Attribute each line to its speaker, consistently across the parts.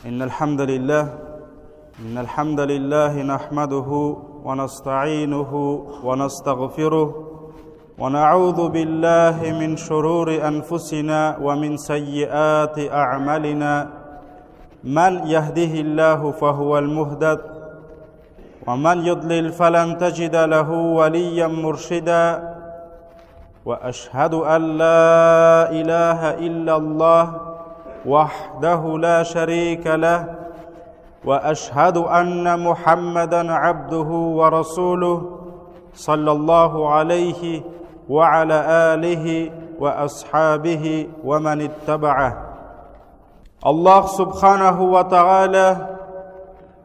Speaker 1: إن الحمد لله إن الحمد لله نحمده ونستعينه ونستغفره ونعوذ بالله من شرور أنفسنا ومن سيئات أعمالنا من يهده الله فهو المهتد ومن يضلل فلن تجد له وليا مرشدا واشهد ان لا اله الا الله وحده لا شريك له واشهد ان محمدا عبده ورسوله صلى الله عليه وعلى اله واصحابه ومن اتبعه Аллаһ субханаху ва тааля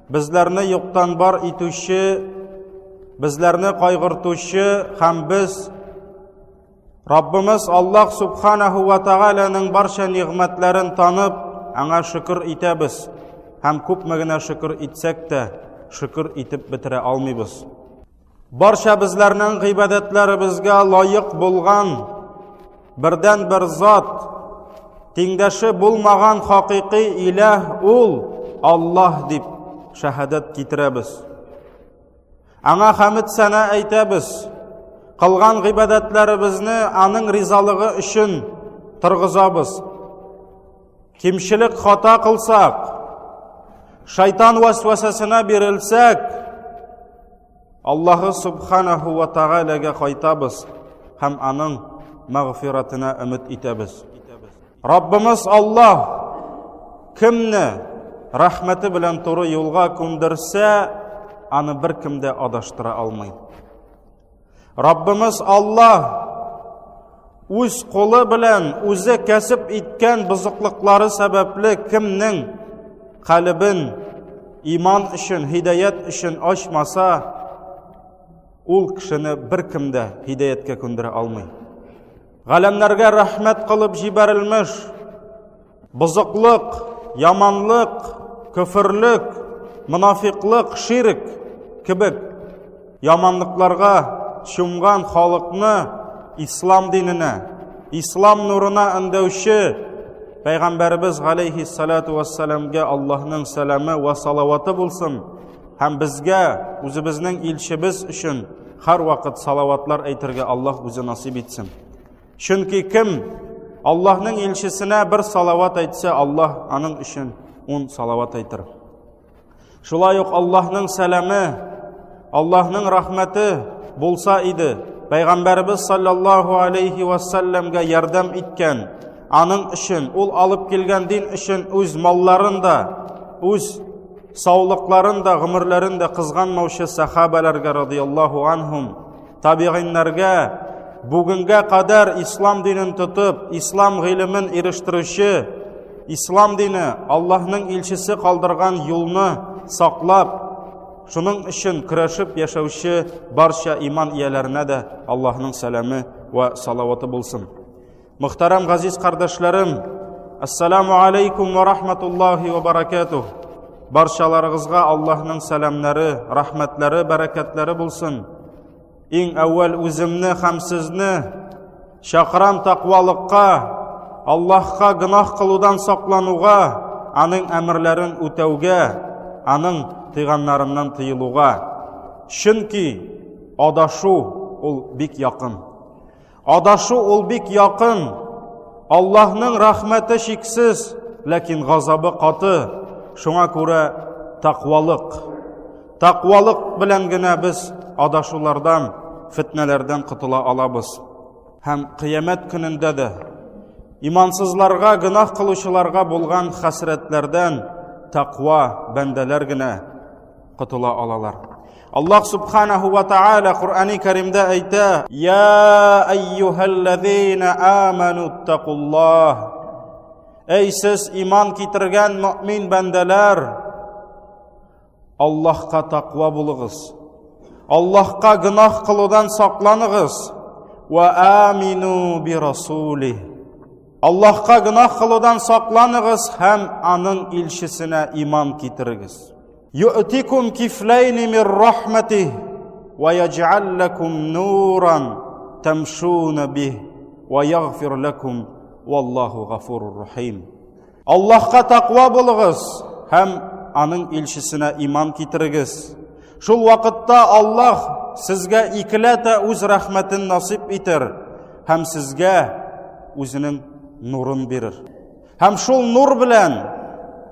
Speaker 1: безләрне юктан бар итүче, безләрне кайгыртучы һәм без Раббымыз Аллаһ субханаху ва тааляның барча нигъмәтләрен танып, аңа шөкер итәбез һәм күпме генә шөкер итсәк тә, шөкер итеп бетерә алмыйбыз. Барча безләрнең гыйбадәтләребезгә лаек булган бердән бер зат, тиңдәше булмаган хакыйкый иләһ ул Аллаһ дип шәһадәт китерәбез. Аңа хәмд сәнә әйтәбез. Кылган гыйбадәтләребезне аның ризалыгы өчен торгызабыз. Кимчелек хата кылсак, шайтан вәсвәсәсенә бирелсәк, Аллаһы Субханаху ва Таалагә кайтабыз һәм аның мәгъфиратына өмет итәбез. Раббымыз Аллаһ кемне рәхмәте белән туры юлга күндерсә, аны беркем дә адаштыра алмый. Раббымыз Аллаһ үз кулы белән үзе кәсеп иткән бозыклыклары сәбәпле кемнең калебен иман өчен, һидаят өчен ачмаса, ул кешене беркем дә һидаяткә күндерә алмый. Галәмнәргә рәхмәт кылып җибәрелмеш Бозыклык, яманлык, көферлек, монафиклык, ширк кебек яманлыкларга чумган халыкны ислам диненә, ислам нурына өндәүче Пәйгамбәребез галәйһиссалату вассаламга Аллаһның сәламе вә салаваты булсын һәм безгә үзебезнең илчебез өчен һәрвакыт салаватлар әйтергә Аллаһ үзе насыйп итсен. Чөнки кем Аллаһның илчесенә бер салават әйтсә, Аллаһ аның өчен ун салават әйтер. Шулай ук Аллаһның сәламе, Аллаһның рәхмәте булса иде, Пәйгамбәребез саллаллаһу алейхи ва саллямга ярдәм иткән, аның өчен, ул алып килгән дин өчен үз малларын да, үз саулыкларын да, гомерләрен дә кызганмаучы сахабаларга радияллаһу анһум табигыйннәргә бүгенгә кадәр ислам динен тотып, ислам гыйлемен ирештерүче, ислам дине Аллаһның илчесе калдырган юлны саклап, шуның өчен көрәшеп яшәүче барча иман ияләренә дә Аллаһның сәламе вә салаваты булсын. Мөхтәрәм газиз кардәшләрем, ассаламу алейкум ва рахматуллахи ва баракатух. Барчаларыгызга Аллаһның сәламнәре, рәхмәтләре, бәрәкәтләре булсын. Иң әүвәл үземне һәм сезне чакырам тәкъвалыкка, Аллаһка гөнаһ кылудан саклануга, аның әмерләрен үтәүгә, аның тыйганнарыннан тыелуга. Чөнки адашу ул бик якын. Адашу ул бик якын. Аллаһның рәхмәте чиксез, ләкин газабы каты. Шуңа күрә тәкъвалык. Тәкъвалык белән генә без адашулардан, фетнәләрдән котыла алабыз. Һәм кыямәт көнендә дә имансызларга, гөнаһ кылучыларга булган хәсрәтләрдән тәкъва бәндәләр генә котыла алалар. Аллаһ субханаху ва тааля Куръани Кәримдә әйтә: "Я айюхаллазина аману тақуллаһ". Эй сез иман китергән мөмин бәндәләр, Аллаһка тақва булыгыз. Аллаһка гөнаһ кылудан сакланыгыз. Ва амину би расулих. Аллаһка гөнаһ кылудан сакланыгыз һәм аның илчесенә иман китерегез. Ю'тикум кифләйни мир рахматих ва яҗ'ал лакум нуран тамшуна бих ва ягфир лакум валлаху гафурур рахим. Аллаһка тәкъва булыгыз. һәм аның илчесенә иман китерегез. Шул вакытта Аллаһ сезгә икеләтә үз рәхмәтен насыйп итер һәм сезгә үзенең нурын бирер. Һәм шул нур белән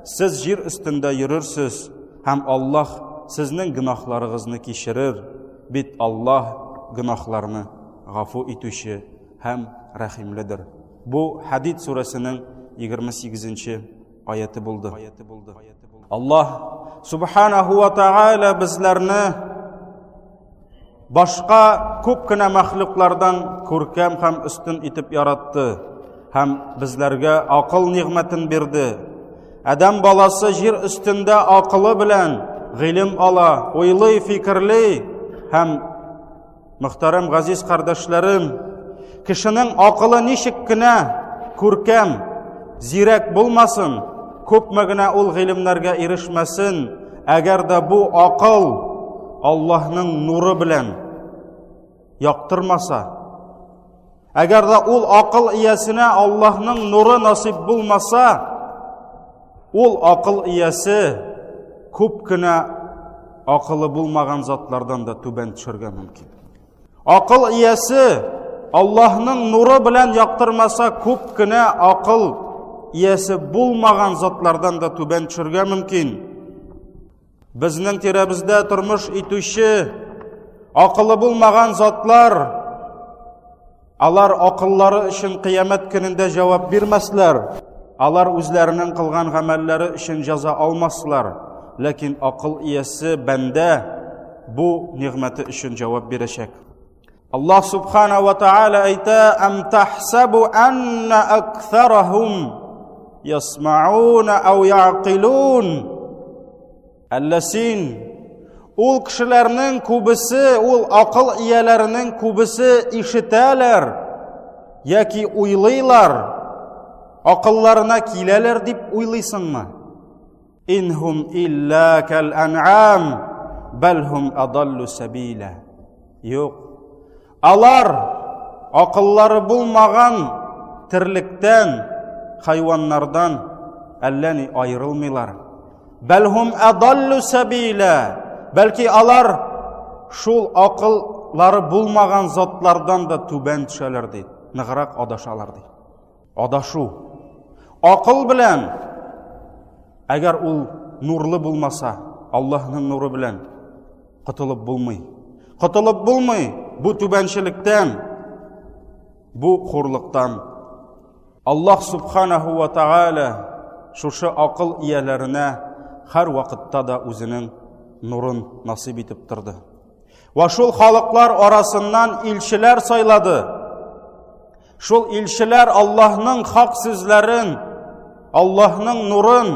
Speaker 1: сез җир өстендә йөрерсез һәм Аллаһ сезнең гөнаһларыгызны кичерер. Бит Аллаһ гөнаһларны гафу итүче һәм рәхимледер. Бу Хадид сүрәсенең 28 нче аяты булды. Аллаһ субханаху ва тааля безләрне башка күп кенә мәхлуклардан күркәм һәм өстен итеп яратты һәм безләргә акыл нигъмәтен бирде. Адәм баласы җир өстендә акылы белән гыйлем ала, уйлый, фикерли һәм Мөхтәрәм газиз кардәшләрем, кешенең акылы ничек кенә күркәм, зирәк булмасын, күпме генә ул гыйлемнәргә ирешмәсен, әгәр дә бу акыл Аллаһның нуры белән яктырмаса, әгәр дә ул акыл иясенә Аллаһның нуры насыйп булмаса, ул акыл иясе күп кенә акылы булмаган затлардан да түбән төшәргә мөмкин. Акыл иясе Аллаһның нуры белән яктырмаса, күп кенә акыл иясе булмаган затлардан да түбән төшәргә мөмкин. Безнең тирәбездә тормыш итүче акылы булмаган затлар алар акыллары өчен кыямәт көнендә җавап бирмәсләр. Алар үзләренең кылган гамәлләре өчен җәза алмаслар. Ләкин акыл иясе бәндә бу нигъмәте өчен җавап бирәчәк. Аллаһ субхана ва тааля әйтә: "Ам тахсабу анна акثарахум ясмаун ау яъқилун?" Әллә син ул кешеләрнең күбесе, ул акыл ияләренең күбесе ишетәләр яки уйлыйлар, акылларына киләләр дип уйлыйсыңмы? Инһум илля кәл ан'ам, бәл һум адаллу сәбилә. Юк. Алар акыллары булмаган терлектән, хайваннардан әллә ни аерылмыйлар. Бәл һум адаллу сәбилә. Бәлки алар шул акыллары булмаган затлардан да түбән төшәләр ди, ныграк адашалар ди. Адашу. Акыл белән, әгәр ул нурлы булмаса, Аллаһның нуры белән котылып булмый. Котылып булмый бу түбәнчелектән, бу хурлыктан. Аллаһ субханаху ва тааля шушы акыл ияләренә һәр вакытта да үзенең нурын насыйп итеп торды. Ва шул халыклар арасыннан илчеләр сайлады. Шул илчеләр Аллаһның хак сүзләрен, Аллаһның нурын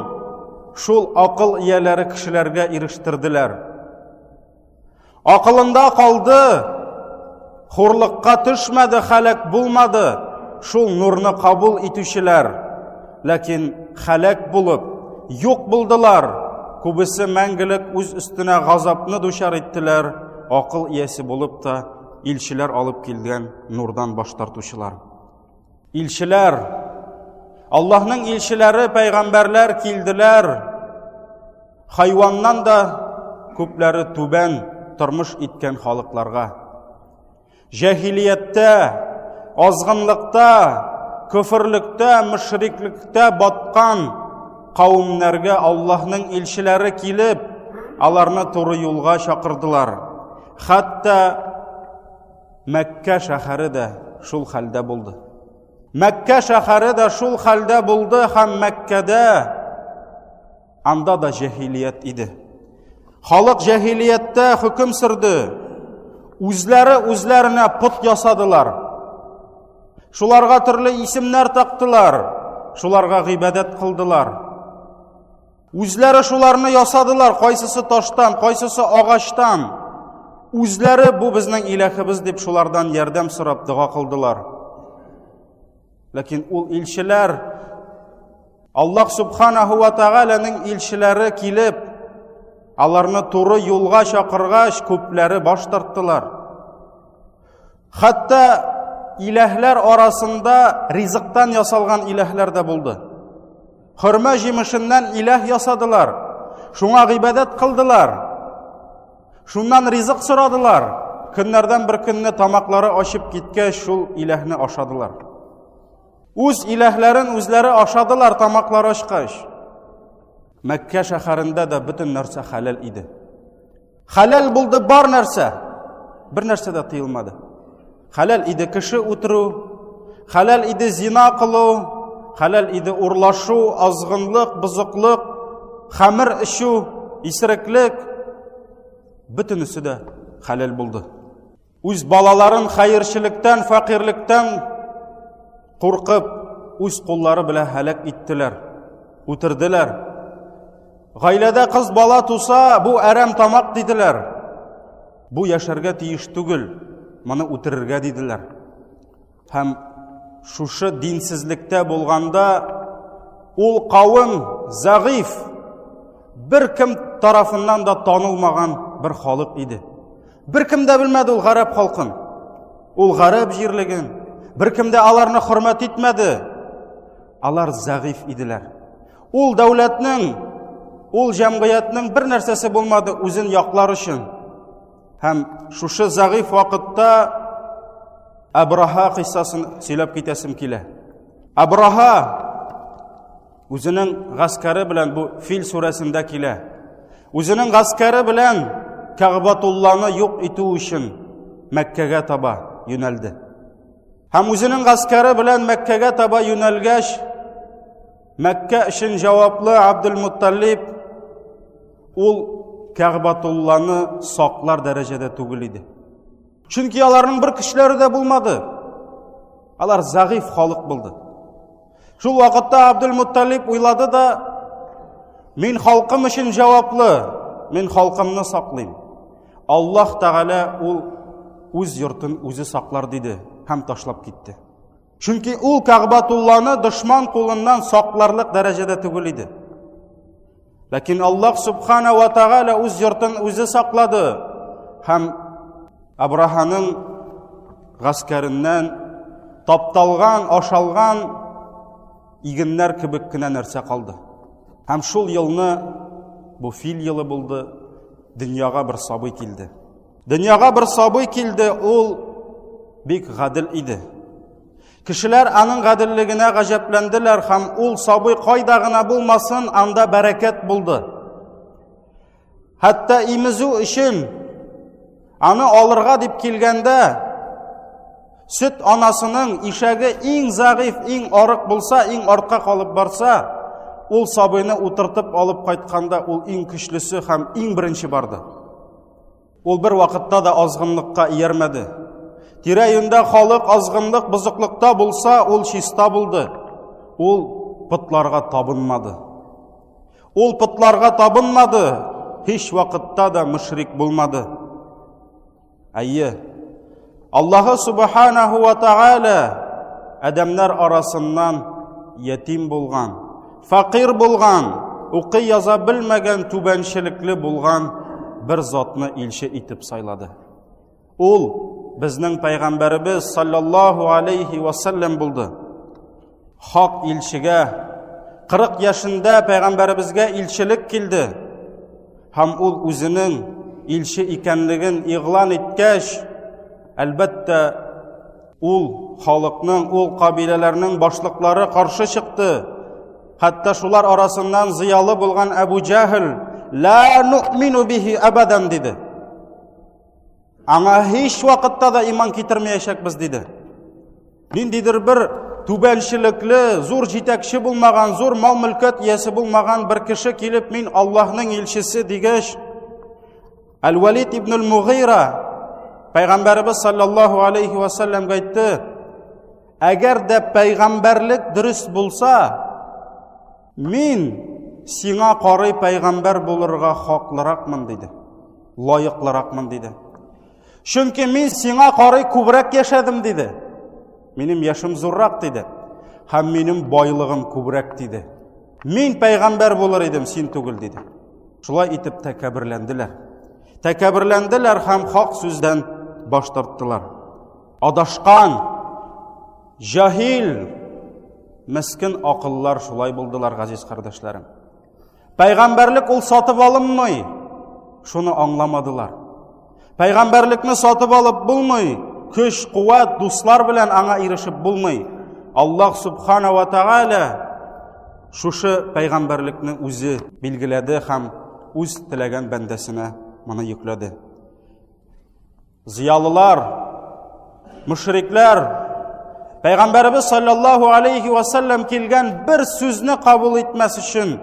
Speaker 1: шул акыл ияләре кешеләргә ирештерделәр. Акылында калды, хурлыкка төшмәде, хәләк булмады шул нурны кабул итүчеләр. Ләкин хәләк булып, юк булдылар. Күбесе мәңгелек үз өстенә газапны дучар иттеләр, акыл иясе булып та илчеләр алып килгән нурдан баш тартучылар. Илчеләр, Аллаһның илчеләре, пәйгамбәрләр килделәр. Хайваннан да күпләре түбән тормыш иткән халыкларга. Җәһилияттә, азгынлыкта, көферлектә, мөшриклектә баткан кавемнәргә Аллаһның илчеләре килеп, аларны туры юлга чакырдылар. Хәтта Мәккә шәһәре дә шул хәлдә булды. Мәккә шәһәре дә шул хәлдә булды һәм Мәккәдә анда да җәһилият иде. Халык җәһилияттә хөкем сөрде. Үзләре үзләренә пот ясадылар. Шуларга төрле исемнәр тактылар, шуларга гыйбадәт кылдылар. Үзләре шуларны ясадылар, кайсысы таштан, кайсысы агачтан. Үзләре бу безнең иләхебез дип шулардан ярдәм сорап дога кылдылар. Ләкин ул илчеләр Аллаһ субханаху ва тааляның илчеләре килеп, аларны туры юлга чакыргач, күпләре баш тарттылар. Хәтта иләһләр арасында ризыктан ясалган иләһләр дә булды. Хөрмә җимешеннән иләһ ясадылар. Шуңа гыйбадәт кылдылар. Шуннан ризык сорадылар. Көннәрдән бер көнне тамаклары ачып киткәч, шул иләһне ашадылар. Үз иләһләрен үзләре ашадылар тамаклары ачкач. Мәккә шәһәрендә дә бөтен нәрсә хәләл иде. Хәләл булды бар нәрсә. Бер нәрсә дә тыелмады. Хәләл иде кеше үтерү, хәләл иде зина кылу, хәләл иде урлашу, азгынлык, бозыклык, хәмер эчү, исереклек. Бөтенесе дә хәләл булды. Үз балаларын хәерчелектән, фәкыйрьлектән куркып, үз куллары белән һәлак иттеләр, үтерделәр. Гаиләдә кыз бала туса, бу әрәм тамак диделәр. Бу яшәргә тиеш түгел, моны үтерергә диделәр. Һәм шушы динсезлектә булганда ул кавым зәгыйф, бер кем тарафыннан да танылмаган бер халык иде. Бер кем дә белмәде ул гарәп халкын. Ул гарәп җирлеген. Бер кем дә аларны хөрмәт итмәде. Алар зәгыйф иделәр. Ул дәүләтнең, ул җәмгыятьнең бер нәрсәсе булмады үзен яклар өчен. Һәм шушы зәгыйф вакытта Абраһа кыйссасын сөйләп китәсем килә. Абраһа Үзенең гаскәре белән бу Фил сүрәсендә килә. Үзенең гаскәре белән Кәгъбатулланы юк итү өчен Мәккәгә таба юнәлде. Һәм үзенең гаскәре белән Мәккәгә таба юнәлгәч, Мәккә өчен җаваплы Абдул-Мутталиб ул Кәгъбатулланы саклар дәрәҗәдә түгел иде. Чөнки аларның бер көчләре дә булмады. Алар зәгыйф халык булды. Шул вакытта Абдул-Мутталиб уйлады да, мин халкым өчен җаваплы, мин халкымны саклыйм. Аллаһ Тәгалә ул үз йортын үзе саклар диде һәм ташлап китте. Чөнки ул Кәгъбатулланы дошман кулыннан сакларлык дәрәҗәдә түгел иде. Ләкин Аллаһ Субхана ва Тәгалә үз йортын үзе саклады һәм Абраханың гаскәреннән тапталган, ашалган игеннәр кебек кенә нәрсә калды. Һәм шул елны бу фил елы булды, дөньяга бер сабый килде. Дөньяга бер сабый килде, ул бик гадел иде. Кешеләр аның гаделлегенә гаҗәпләнделәр һәм ул сабый кайда гына булмасын, анда бәрәкәт булды. Хәтта имезү өчен аны алырга дип килгәндә, сөт анасының ишәге иң зәгыйф, иң арык булса, иң артка калып барса, ул сабыйны утыртып алып кайтканда ул иң көчлесе һәм иң беренче барды. Ул бер вакытта да азгынлыкка иярмәде. Тирә-юньдә халык азгынлык, бозыклыкта булса, ул чиста булды. Ул потларга табынмады. Ул потларга табынмады, һич вакытта да мөшрик булмады. Әйе, Аллаһы субханаху ва тааля адәмнәр арасыннан ятим булган, фәкыйрь булган, укый яза белмәгән түбәнчелекле булган бер затны илче итеп сайлады. Ул безнең пәйгамбәребез саллаллаһу алейхи ва саллям булды. Хак илчегә 40 яшендә пәйгамбәребезгә илчелек килде. Һәм ул үзенең илче икәнлеген игълан иткәч, әлбәттә, ул халыкның, ул кабиләләрнең башлыклары каршы чыкты. Хәтта шулар арасыннан зыялы булган Әбу Җәһел, «Ла нуъмину бихи абадан» диде. Аңа һич вакытта да иман китермәячәкбез, диде. Ниндидер бер түбәнчелекле, зур җитәкче булмаган, зур мал-мөлкәт иясе булмаган бер кеше килеп, мин Аллаһның илчесе дигәч, Әл-Валид ибн аль-Мугыйра пәйгамбәребез саллаллаһу алейхи ва саллямга әйтте, әгәр дә пәйгамбәрлек дөрес булса, Мин сиңа карый пәйгамбәр булырга хаклыракмын, диде. Лаеклыракмын, диде. Чөнки мин сиңа карый күбрәк яшәдем, диде. Минем яшем зуррак, диде. Һәм минем байлыгым күбрәк, диде. Мин пәйгамбәр булыр идем, син түгел, диде. Шулай итеп тәкәбберләнделәр. Тәкәбберләнделәр һәм хак сүздән баш тарттылар. Адашкан, җаһил, Мескен акыллар шулай булдылар, газиз кардәшләрем. Пәйгамбәрлек ул сатып алынмый. Шуны аңламадылар. Пәйгамбәрлекне сатып алып булмый. Көч, куәт, дуслар белән аңа ирешеп булмый. Аллаһ субхана ва тааля шушы пәйгамбәрлекне үзе билгеләде һәм үз теләгән бәндәсенә моны йөкләде. Зыялылар, мөшрикләр Пәйгамбәребез саллаллаһу алейхи ва саллям килгән бер сүзне кабул итмәс өчен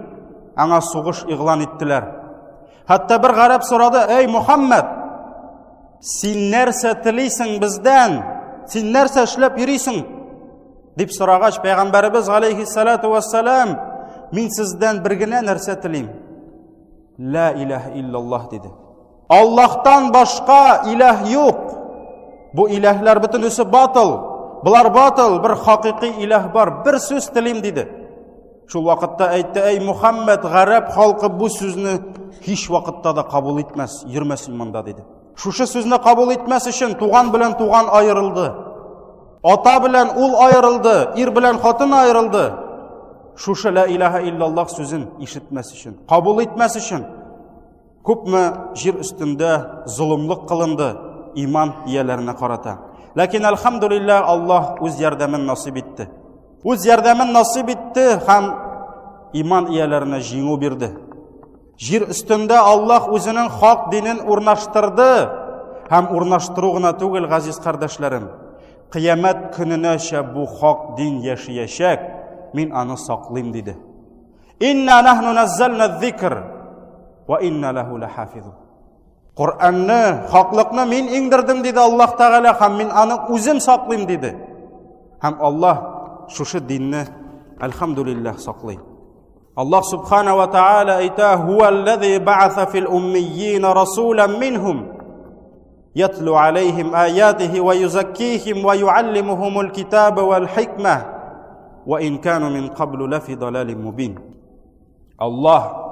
Speaker 1: аңа сугыш игълан иттеләр. Хәтта бер гарәп сорады: "Эй Мухаммад, син нәрсә телисең бездән? Син нәрсә эшләп йөрисең?" дип сорагач, Пәйгамбәребез алейхиссалату вассалам: "Мин сездән бер генә нәрсә телим. Ла илаһа иллаллаһ" диде. Аллаһтан башка илаһ юк. Бу илаһлар бөтенесе батыл. Болар батыл, бер хакыйкый илаһ бар. Бер сүз телим диде. Шул вакытта әйтте, әй Мухаммед, гарәп халкы бу сүзне һич вакытта да кабул итмәс, йөрмәсен монда диде. Шушы сүзне кабул итмәс өчен туган белән туган аерылды. Ата белән ул аерылды, ир белән хатын аерылды. Шушы ла илаһа иллаллаһ сүзен ишетмәс өчен, кабул итмәс өчен Күпме җир өстендә золымлык кылынды иман ияләренә карата. Ләкин әлхәмдүлилләһ Аллаһ үз ярдәмен насыйп итте. Үз ярдәмен насыйп итте һәм иман ияләренә җиңү бирде. Җир өстендә Аллаһ үзенең хак динен урнаштырды һәм урнаштыру гына түгел, газиз кардәшләрем. Кыямәт көненәчә бу хак дин яшәячәк, мин аны саклыйм диде. Инна нахну наззална зикр ва инна лаху лахафизун. Коръәнне, хаклыкны мин иңдердем диде Аллаһ Тәгалә һәм мин аны үзем саклыйм диде. Һәм Аллаһ шушы динне әлхәмдүлилләһ саклый. Аллаһ субхана ва тааля әйтә: "Хуаллази ба'аса фил уммийин расулан минхум يتلو عليهم آياته ويزكيهم ويعلمهم الكتاب والحكمة وإن كانوا من قبل لفي ضلال مبين الله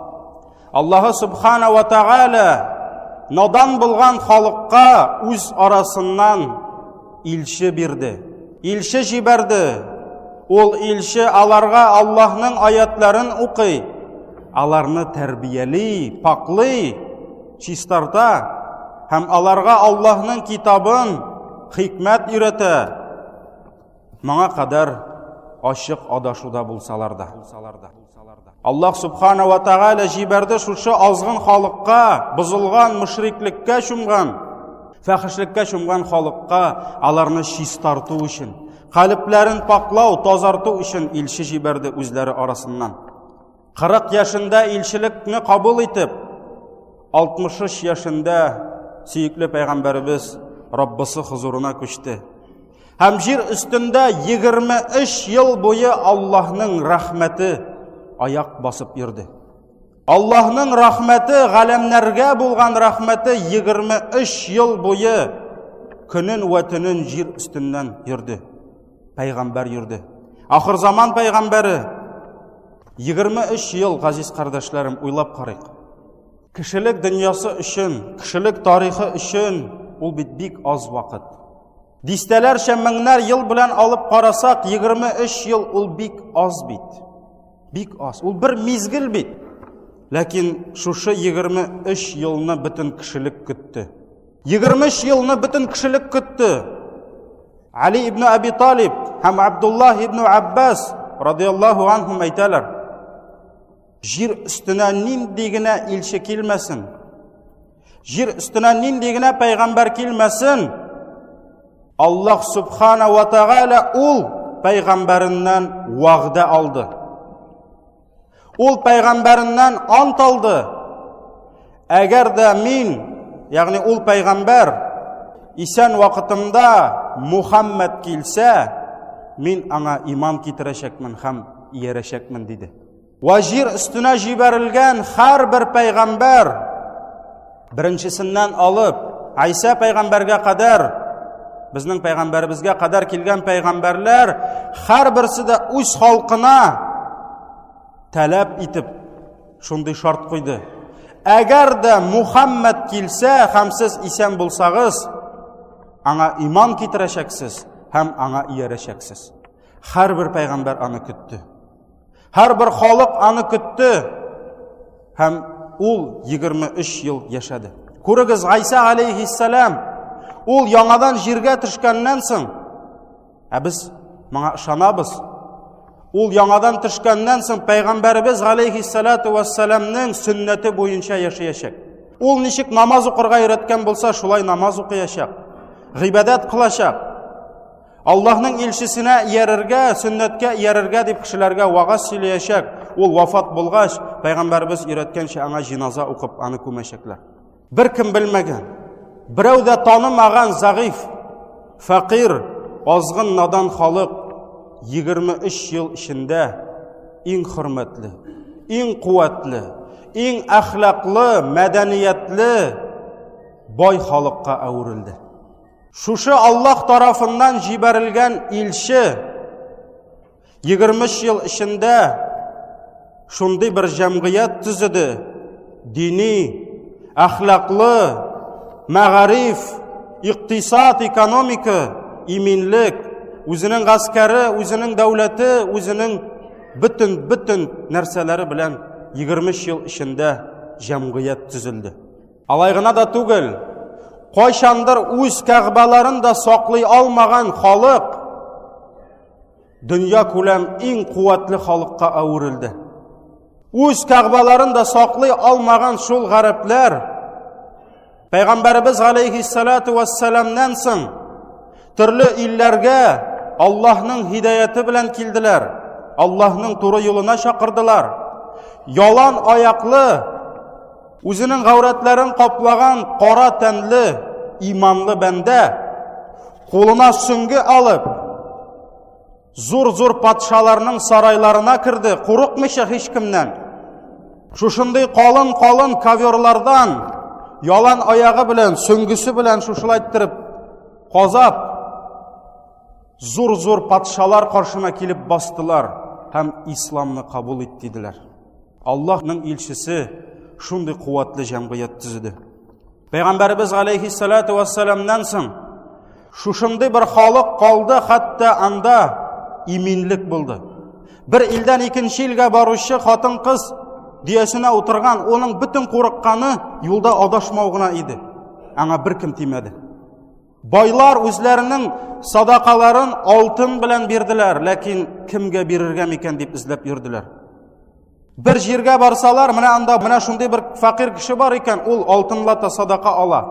Speaker 1: Аллаһы Субхана ва Тааля надан булган халыкка үз арасыннан илче бирде. Илче җибәрде. Ул илче аларга Аллаһның аятларын укый, аларны тәрбияли, паклый, чистарта һәм аларга Аллаһның китабын, хикмәт өйрәтә. Моңа кадәр ачык адашуда булсалар да. Аллаһ субхана ва тааля җибәрде шушы азгын халыкка, бозылган мөшриклеккә чумган, фәхешлеккә чумган халыкка аларны чистарту өчен, калебләрен паклау, тазарту өчен илче җибәрде үзләре арасыннан. 40 яшендә илчелекне кабул итеп, 63 яшендә сөекле пәйгамбәребез Раббысы хозурына күчте. Һәм җир өстендә 23 ел буе Аллаһның рәхмәте аяк басып йөрде. Аллаһның рәхмәте, галәмнәргә булган рәхмәте 23 ел буе көнен вә төнен җир өстеннән йөрде. Пәйгамбәр йөрде. Ахыр заман пәйгамбәре 23 ел, газиз кардәшләрем, уйлап карыйк. Кешелек дөньясы өчен, кешелек тарихы өчен ул бит бик аз вакыт. Дистәләрчә меңнәр ел белән алып карасак, 23 ел ул бик аз бит. Бик аз. Ул бер мизгел бит. Ләкин шушы 23 елны бөтен кешелек көтте. 23 елны бөтен кешелек көтте. Али ибн Аби Талиб һәм Абдуллаһ ибн Аббас радияллаһу анһум әйтәләр. Җир өстенә нинди генә илче килмәсен, җир өстенә нинди генә пәйгамбәр килмәсен, Аллаһ субхана ва тааля ул пәйгамбәреннән вәгъдә алды. Ул пәйгамбәреннән ант алды. Әгәр дә мин, ягъни ул пәйгамбәр исән вакытымда Мухаммад килсә, мин аңа иман китерәчәкмен һәм иярәчәкмен диде. Вә җир өстенә җибәрелгән һәрбер пәйгамбәр беренчесеннән алып Айса пәйгамбәргә кадәр безнең пәйгамбәребезгә кадәр килгән пәйгамбәрләр һәрберсе дә үз халкына таләп итеп шундый шарт куйды. Әгәр дә Мухаммад килсә һәм сез исән булсагыз, аңа иман китерәчәксез һәм аңа иярәчәксез. Һәрбер пәйгамбәр аны көтте. Һәрбер халык аны көтте. Һәм ул 23 ел яшәде. Күрегез, Гайса алейхиссалам ул яңадан җиргә төшкәннән соң, ә без моңа ышанабыз. Ул яңадан төшкәннән соң пәйгамбәребез алейхиссалату вассаламның сөннәте буенча яшәячәк. Ул ничек намаз укырга өйрәткән булса, шулай намаз укыячак. Гыйбадәт кылачак. Аллаһның илчесенә иярергә, сөннәткә иярергә дип кешеләргә вагаз сөйләячәк. Ул вафат булгач, пәйгамбәребез өйрәткәнчә аңа җиназа укып, аны күмәчәкләр. Беркем белмәгән, берәү дә танымаган зәгыйф, фәкыйрь, азгын надан халык 23 ел эчендә иң хөрмәтле, иң куәтле, иң әхлаклы, мәдәниятле бай халыкка әверелде. Шушы Аллаһ тарафыннан җибәрелгән илче 23 ел эчендә шундый бер җәмгыять төзеде. Дини, әхлаклы, мәгариф, икътисад, экономика, иминлек, үзенең гаскәре, үзенең дәүләте, үзенең бөтен-бөтен нәрсәләре белән 23 ел эчендә җәмгыять төзелде. Алай гына да түгел, кайчандыр үз кәгъбәләрен дә саклый алмаган халык дөнья күләм иң куәтле халыкка әверелде. Үз кәгъбәләрен дә саклый алмаган шул гарәпләр Пәйгамбәребез галәйһиссалату вассаламнан соң төрле илләргә Аллаһның һидаяте белән килделәр. Аллаһның туры юлына чакырдылар. Ялан аяклы Үзенең гаурәтләрен каплаган кара тәнле, иманлы бәндә кулына сөңге алып, зур-зур патшаларның сарайларына керде, курыкмыйча һичкемнән. Шушындый калын-калын коверлардан ялан аягы белән, сөңгесе белән шушылай иттереп казап, зур-зур патшалар каршына килеп бастылар һәм исламны кабул ит диделәр. Аллаһның илчесе шундый куәтле җәмгыять төзеде. Пәйгамбәребез алейхиссалату вассаламнан соң шушындый бер халык калды, хәтта анда иминлек булды. Бер илдән икенче илгә баручы хатын-кыз дөясенә утырган, оның бөтен курыкканы юлда адашмау гына иде. Аңа беркем тимәде. Байлар үзләренең садакаларын алтын белән бирделәр, ләкин кемгә бирергә микән дип эзләп йөрделәр. Бер җиргә барсалар, менә анда менә шундый бер фәкыйрь кеше бар икән, ул алтынлата садака ала.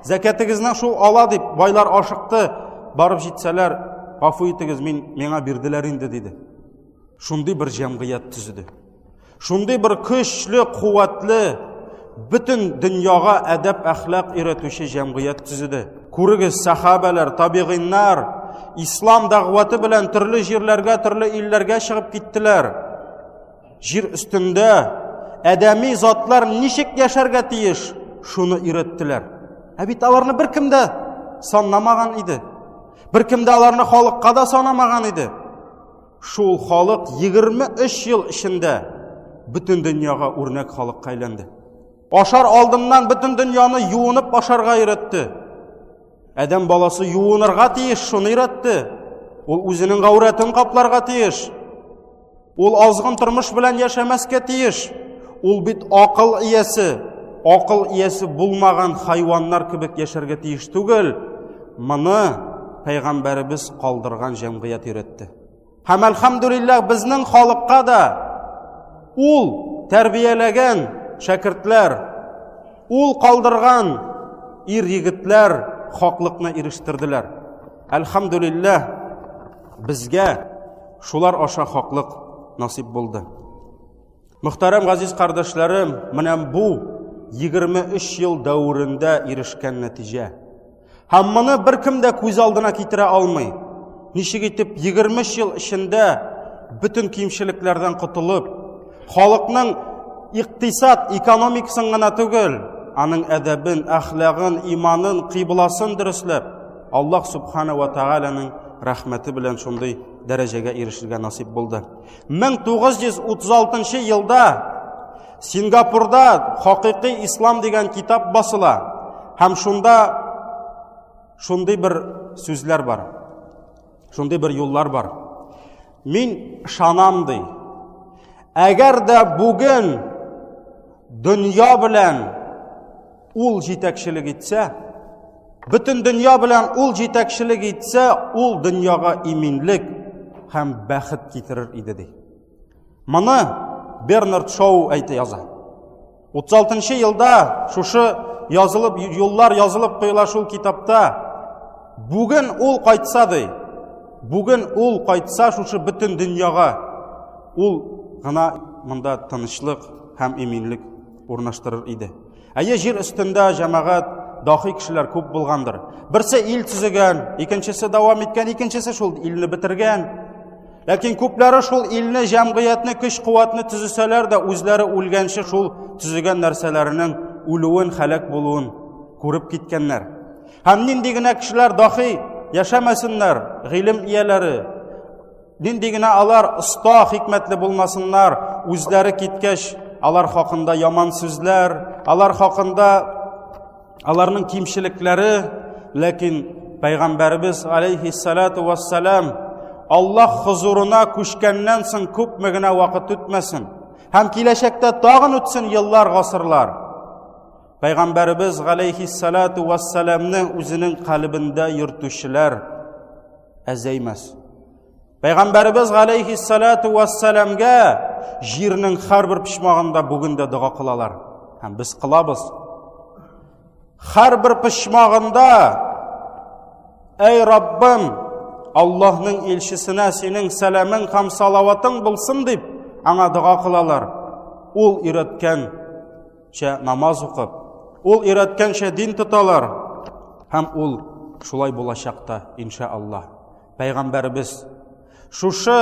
Speaker 1: Зәкәтегезне шул ала дип байлар ашыкты. Барып җитсәләр, гафу итегез, мин миңа бирделәр инде диде. Шундый бер җәмгыять төзеде. Шундый бер көчле, куәтле, бөтен дөньяга әдәп әхлак өйрәтүче җәмгыять төзеде. Күрегез, сахабәләр, табигыйннар ислам дәгъваты белән төрле җирләргә, төрле илләргә чыгып киттеләр. Җир өстендә адәми затлар ничек яшәргә тиеш, шуны өйрәттеләр. Ә бит аларны беркем дә санламаган иде. Беркем дә аларны халыкка да санамаган иде. Шул халык 23 ел эчендә бөтен дөньяга үрнәк халыкка әйләнде. Ашар алдыннан бөтен дөньяны юынып ашарга өйрәтте. Адәм баласы юынырга тиеш, шуны өйрәтте. Ул үзенең гаурәтен капларга тиеш. Ул азгын тормыш белән яшәмәскә тиеш. Ул бит акыл иясе. Акыл иясе булмаган хайваннар кебек яшәргә тиеш түгел. Моны пәйгамбәребез калдырган җәмгыять өйрәтте. Һәм әлхәмдүлилләһ безнең халыкка да ул тәрбияләгән шәкертләр, ул калдырган ир егетләр хаклыкны ирештерделәр. Әлхәмдүлилләһ безгә шулар аша хаклык насыйп булды. Мөхтәрәм газиз кардәшләрем, менә бу 23 ел дәверендә ирешкән нәтиҗә. Һәм моны беркем дә күз алдына китерә алмый. Ничек итеп 23 ел эчендә бөтен кимчелекләрдән котылып, халыкның икътисад, экономикасын гына түгел, аның әдәбен, әхлагын, иманын, кыйбласын дөресләп, Аллаһ субхана ва тааляның рәхмәте белән шундый дәрәҗәгә ирешергә насыйп булды. 1936 елда Сингапурда Хакыйкый ислам дигән китап басыла. Һәм шунда шундый бер сүзләр бар. Шундый бер юллар бар. Мин ышанам ди. Әгәр дә бүген дөнья белән ул җитәкчелек итсә, бөтен дөнья белән ул җитәкчелек итсә, ул дөньяга иминлек һәм бәхет китерер иде ди. Моны Бернард Шоу әйтә яза. 36 елда шушы язылып юллар язылып куела шул китапта. Бүген ул кайтса ди. Бүген ул кайтса шушы бөтен дөньяга ул гына монда тынычлык һәм иминлек урнаштырыр иде. Әйе, җир өстендә җәмәгать дахи кешеләр күп булгандыр. Берсе ил төзегән, икенчесе дәвам иткән, икенчесе шул илне бетергән. Ләкин күпләре шул илне, җәмгыятьне, көч-куәтне төзесәләр дә, үзләре үлгәнче шул төзегән нәрсәләренең үлүен, хәләк булуын күреп киткәннәр. Һәм нинди генә кешеләр дахи яшәмәсеннәр, гыйлем ияләре, нинди генә алар оста, хикмәтле булмасыннар, үзләре киткәч, алар хакында яман сүзләр, алар хакында аларның кимчелекләре, ләкин Пәйгамбәребез алейхиссалату вассалам Аллаһ хозурына күчкәннән соң күпме генә вакыт үтмәсен һәм киләчәктә тагын үтсен еллар, гасырлар. Пәйгамбәребез алейхиссалату вассаламны үзенең калебендә йөртүчеләр әзәймәс. Пәйгамбәребез галәйһиссалату вассаламга җирнең һәрбер почмагында бүген дә дога кылалар. Һәм без кылабыз. Һәрбер почмагында Әй Раббым, Аллаһның илчесенә синең сәламең һәм салаватың булсын дип, аңа дога кылалар. Ул өйрәткәнчә намаз укып, ул өйрәткәнчә дин тоталар. Һәм ул шулай булачак та, иншааллаһ. Пәйгамбәребез шушы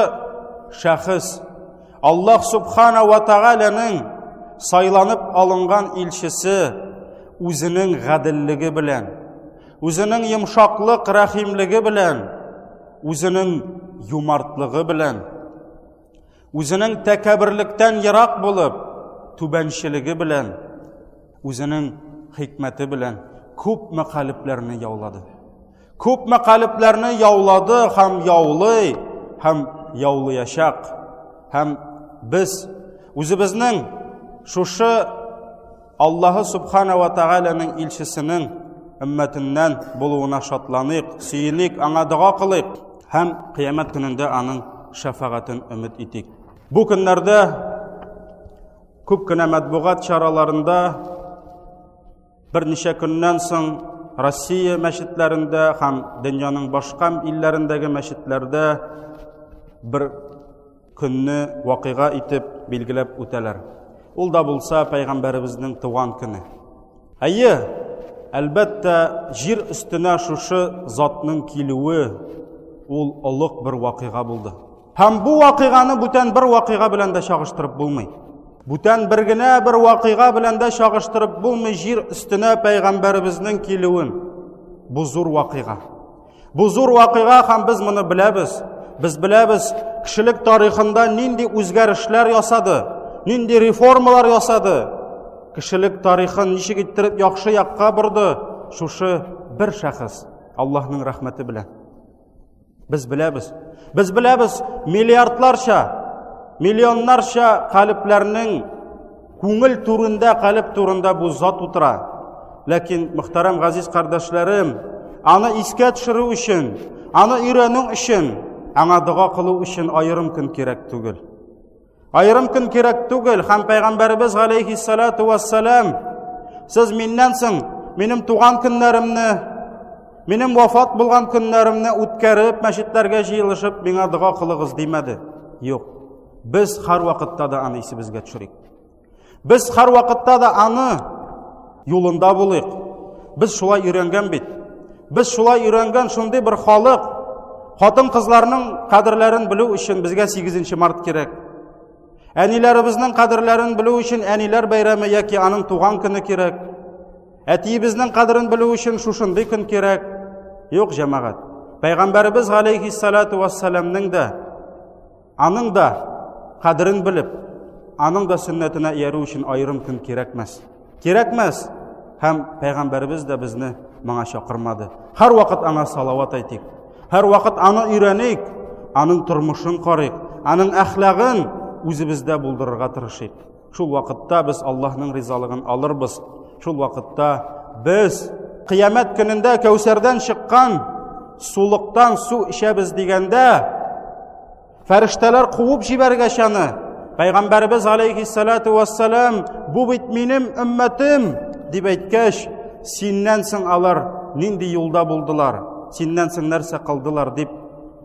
Speaker 1: шәхес Аллаһ субхана ва тәгаләнең сайланып алынган илчесе үзенең гаделлеге белән, үзенең йомшаклык, рәхимлеге белән, үзенең юмартлыгы белән, үзенең тәкәбберлектән ерак булып, түбәнчелеге белән, үзенең хикмәте белән күпме калебләрне яулады. Күпме калебләрне яулады һәм яулый һәм яулыячак. Һәм без үзебезнең шушы Аллаһы Субхана ва Тааляның илчесенең өммәтеннән булуына шатланыйк, сөеник, аңа дога кылыйк һәм кыямәт көнендә аның шәфәгатен өмет итик. Бу көннәрдә күп кенә матбугат чараларында Берничә көннән соң Россия мәчетләрендә һәм дөньяның башка илләрендәге мәчетләрдә бер көнне вакыйга итеп билгеләп үтәләр. Ул да булса пәйгамбәребезнең туган көне. Әйе, әлбәттә, җир өстенә шушы затның килүе ул олуг бер вакыйга булды. Һәм бу вакыйганы бүтән бер вакыйга белән дә чагыштырып булмый. Бүтән бер генә бер вакыйга белән дә чагыштырып булмый җир өстенә пәйгамбәребезнең килүен. Бу зур вакыйга. Бу зур вакыйга һәм без моны беләбез. Без беләбез, кешелек тарихында нинди үзгәрешләр ясады, нинди реформалар ясады. Кешелек тарихын ничек иттереп яхшы якка борды шушы бер шәхес Аллаһның рәхмәте белән. Без беләбез. Без беләбез, миллиардларча, миллионнарча калебләрнең күңел түрендә, калеб турында бу зат утыра. Ләкин, мөхтәрәм газиз кардәшләрем, аны искә төшерү өчен, аны өйрәнү өчен, аңа дога кылу өчен аерым көн кирәк түгел. Аерым көн кирәк түгел, һәм пәйгамбәребез галәйһиссалату вассалам, сез миннән соң минем туган көннәремне, минем вафат булган көннәремне үткәреп, мәчетләргә җыелышып, миңа дога кылыгыз димәде. Юк. Без һәрвакытта да аны исебезгә төшерик. Без һәрвакытта да аны юлында булыйк. Без шулай өйрәнгән бит. Без шулай өйрәнгән шундый бер халык. Хатын-кызларның кадерләрен белү өчен безгә 8 март кирәк. Әниләребезнең кадерләрен белү өчен әниләр бәйрәме яки аның туган көне кирәк. Әтиебезнең кадерен белү өчен шушындый көн кирәк. Юк, җәмәгать. Пәйгамбәребез галәйһиссалату вассаламның да Аның да кадерен белеп, аның да сөннәтенә иярү өчен аерым көн кирәкмәс. Кирәкмәс. Һәм пәйгамбәребез дә безне моңа чакырмады. Һәрвакыт аңа салават әйтик. Һәрвакыт аны өйрәник. Аның тормышын карыйк, аның әхлагын үзебездә булдырырга тырышыйк. Шул вакытта без Аллаһның ризалыгын алырбыз. Шул вакытта без кыямәт көнендә Кәүсәрдән чыккан сулыктан су эчәбез дигәндә, фәрештәләр куып җибәргәч аны, Пәйгамбәребез алейхиссалату вассалам, бу бит минем өммәтем, дип әйткәч, синнән соң алар нинди юлда булдылар, синнән соң нәрсә кылдылар дип,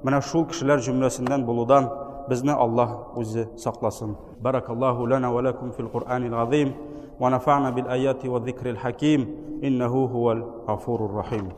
Speaker 1: менә шул кешеләр җөмләсеннән булудан безне Аллаһ үзе сакласын. Баракаллаху лана ва лакум фил Кур'анил азим ва нафa'на бил аяти ва зикрил хаким иннаху хуал гафурур рахим.